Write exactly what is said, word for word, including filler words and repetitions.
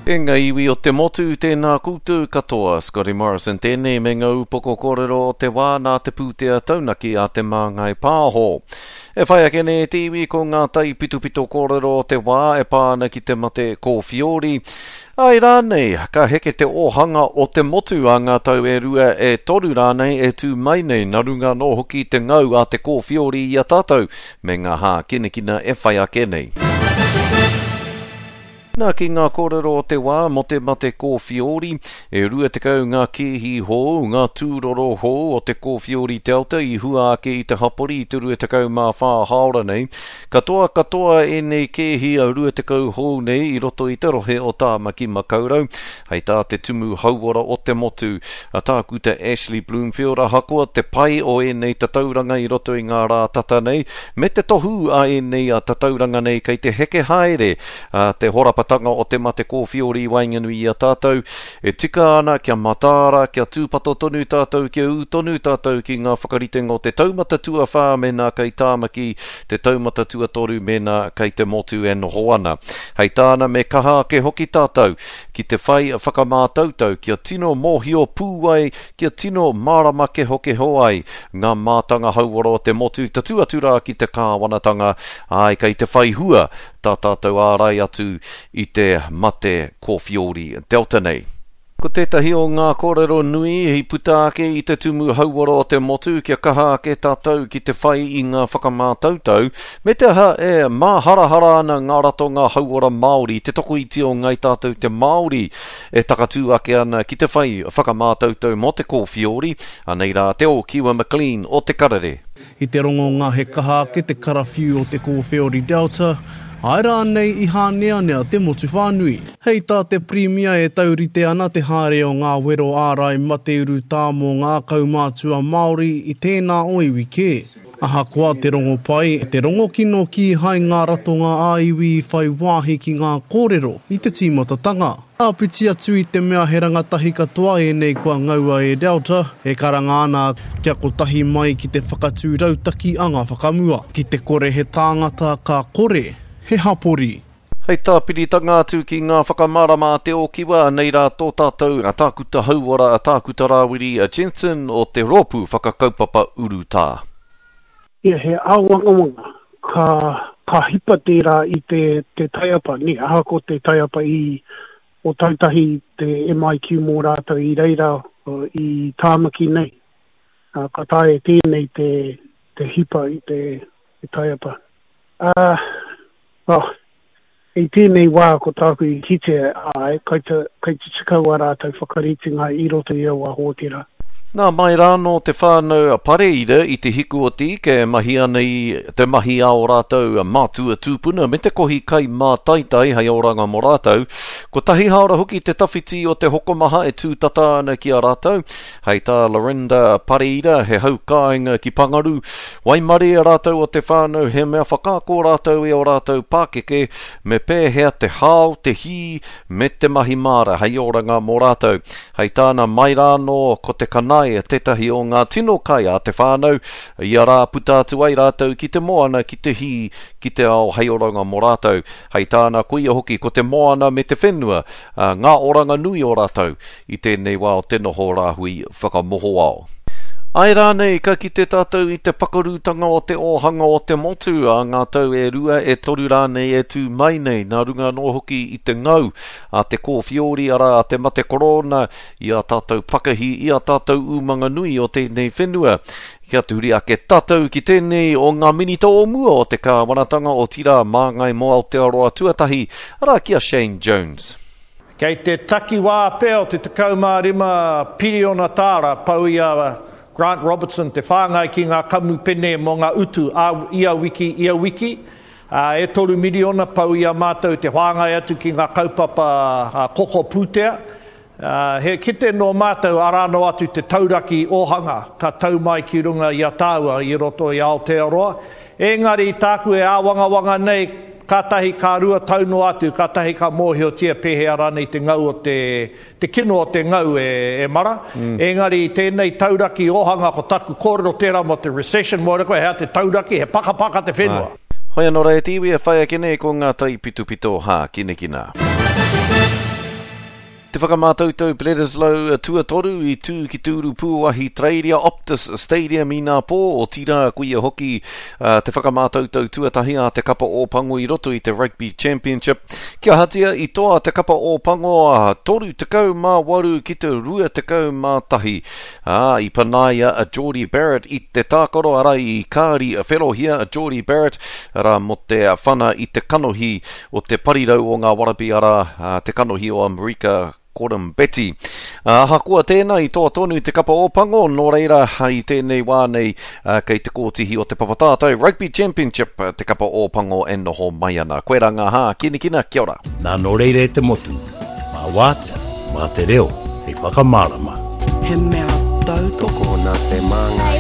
E ngā iwi o te motu, tēnā koutou katoa. Scotty Morrison tēnei me ngā upoko kōrero o te wā nā te pūtea taunaki a Te Māngai Pāho. E whai ake nei te iwi ko ngā taipitopito kōrero o te wā e pā ana ki te mate kōwhiori. Ai rānei, ka heke te ōhanga o te motu a ngā tau e rua e toru rānei e tū mai nei, nā runga anō hoki te ngau a te kōwhiori i a tātou me ngā hākinakina e whai ake nei. Nā ki ngā kōrero o te wā mō te mate kōwhiori, e rua tekau ngā kēhi hou, ngā tūroro hou o te kōwhiori Delta i hua ake i te hapori i te rua tekau mā whā hāora nei. Katoa katoa ēnei kēhi a rua tekau hou nei i roto i te rohe o Tāmaki Makaurau. Hei tā te tumu hauora o te motu, a Tākuta Ashley Bloomfield, ahakoa te pai o ēnei tatauranga i roto i ngā rā tata nei, me te tohu a ēnei a tatauranga nei kei te heke haere a te horapatanga o te mate kōwhiori i waenganui i a tātou, e tika ana kia mataara, kia tūpato tonu tātou, kia ū tonu tātou ki ngā whakaritenga o te taumata tuawhā mēnā kei Tāmaki, te taumata tuatoru mēnā kei te motu e noho ana. Hei tāna me kaha ake hoki tātou ki te whai whakamātautau kia tino mōhio pū ai, kia tino mārama kehokeho ai ngā mātanga hauora o te motu tatū atu rā ki te kāwanatanga, āe kei te whai hua tā tātou ārai atu i te mate kōwhiori Delta nei. Ko tētahi o ngā kōrero nui i puta ake i te tumu hauora o te motu kia kaha ake tātou ki te whai i ngā whakamātautau, me te aha e māharahara ana ngā ratonga hauora Māori, te tokoiti o ngai tātou te Māori e takatū ake ana ki te whai whakamātautau mō te kōwhiori, anei rā te Ōkiwa McLean o Te Karere. I te rongonga he kaha ake te karawhiu o te kōwhiori Delta, āe rānei i hāneanea te motu whānui. Hei tā te Pirimia e taurite ana te haere o ngā wero ārai mate urutā mō ngā kaumātua Māori i tēnā o iwi kē. Ahakoa te rongo pai, te rongo kino kīhai ngā ratonga ā-iwi i whai wāhi ki ngā kōrero i te tīmatatanga. Āpiti atu i te mea he rangatahi katoa ēnei kua ngaua e Delta, e karanga ana kia kotahi mai ki te whakatū rautaki anga whakamua. Ki te kore he tāngata ka kore, he hapori. Hei tāpiritanga atu ki ngā whakamārama a te Ōkiwa, anei rā tō tātou a Tākuta Hauora, a Tākuta Rāwiri, a Jensen o te Rōpū Whakakaupapa Urutā. Ia, he āwangawanga ka, ka hipa tērā i te, te taiapa, ne, ahakoa te taiapa i Ōtautahi te M I Q mō rātou i reira i Tāmaki nei. Ka taea tēnei te, te hipa i te, te taiapa. Uh, oh, i tēnei wā ko tāku i kitea ai, kai te, kai te tikau a rātou whakaritenga i roto i aua hōtera. Nā mai rānō te whānau Pareira i te hiku o te ika e mahi ana i te mahi a o rātou mātua tūpuna me te kohi kai mātaitai hei oranga mō rātou. Kotahi hāora hoki te tawhiti o te hokomaha e tūtata ana ki a rātou. Hei tā Lorinda Pareira, he haukāinga ki Pangaru. Waimarie rātou o te whānau he mea whakaako rātou e o rātou pākeke me pēhea te hao, te hī, me te mahi māra hei oranga mō rātou. Hei tāna mai rānō ko te kanai tētahi o ngā tino kai a te whānau, ia rā puta atu ai rātou ki te moana, ki te hī, ki te ao hei oranga mō rātou. Hei tāna koia hoki ko te moana me te whenua, ngā oranga nui o rātou i tēnei wā o te noho rāhui whakamohoao. Ai rānei ka kite tātou i te pakarutanga o te ōhanga o te motu a ngā tau e rua e toru rānei e tū mai nei, nā runga anō hoki i te ngau a te kōwhiori arā a te mate korona i a tātou pakahi, i a tātou umanga nui o tēnei whenua. Kia tuhuri ake tātou ki tēnei o ngā minita o mua o te kāwanatanga o Tira Māngai mō Aotearoa tuatahi, arā ki a Shane Jones. Kei te takiwā pea o te tekau mā rima piriona tāra pau i a Grant Robertson te whāngai ki ngā kamupene mō ngā utu a ia wiki, ia wiki. Uh, e toru miriona pau i a mātou te whāngai atu ki ngā kaupapa uh, koko pūtea. Uh, he kite no mātou arā no atu te tauraki ōhanga ka tau mai ki runga i a tāua i roto i Aotearoa. Engari tāku e āwangawanga nei, kātahi ka rua tau no atu, kātahi ka mōhiotia pēhea rānei te ngau o te, te kino o te ngau e, e mara. Mm. Engari tēnei tauraki ōhanga ko taku kōrero tērā mō te recession, mō koe hea te tauraki, he pakapaka te whenua. Hoi anō rā e te iwi e whai ake nei ko ngā taipitopito hākinakina. Te whakamātautau Bledisloe tuatoru i tū ki te Urupūahi Treiria Optus Stadium inapō, otirā koia hoki te whakamātautau tuatahi a te kapa Ōpango i roto i te Rugby Championship. Kia ahatia i toa te kapa Ōpango toru tekau mā waru ki te rua tekau mā tahi, ā, i panaia a Jordie Barrett i te tākaro, arā i kāri wherohia a Jordie Barrett, arā mō te whana i te kanohi o te parirau o ngā Wallaby, arā, te kanohi o Amerika Koroibete. Ahakoa tēnā, i toa tonu te kapa Ōpango, nō reira, i tēnei wā nei, kei te kōtihi o te papa tātai Rugby Championship te kapa Ōpango e noho mai ana. Koirā ngā hākinakina, kia ora. Nā, nō reira e te motu, mā wātea, mā te reo, hei whakamārama. He mea tautoko. Tokona te māngai.